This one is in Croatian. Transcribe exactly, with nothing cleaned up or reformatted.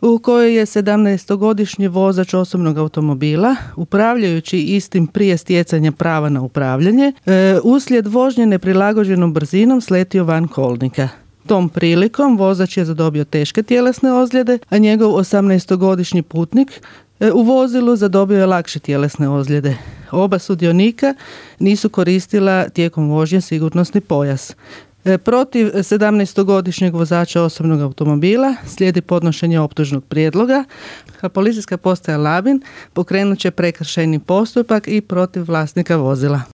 u kojoj je sedamnaestogodišnji vozač osobnog automobila, upravljajući istim prije stjecanja prava na upravljanje, e, uslijed vožnje neprilagođenom brzinom sletio van kolnika. Tom prilikom vozač je zadobio teške tjelesne ozljede, a njegov osamnaestogodišnji putnik e, u vozilu zadobio je lakše tjelesne ozljede. Oba sudionika nisu koristila tijekom vožnje sigurnosni pojas. Protiv sedamnaestogodišnjeg vozača osobnog automobila slijedi podnošenje optužnog prijedloga, a policijska postaja Labin pokrenut će prekršajni postupak i protiv vlasnika vozila.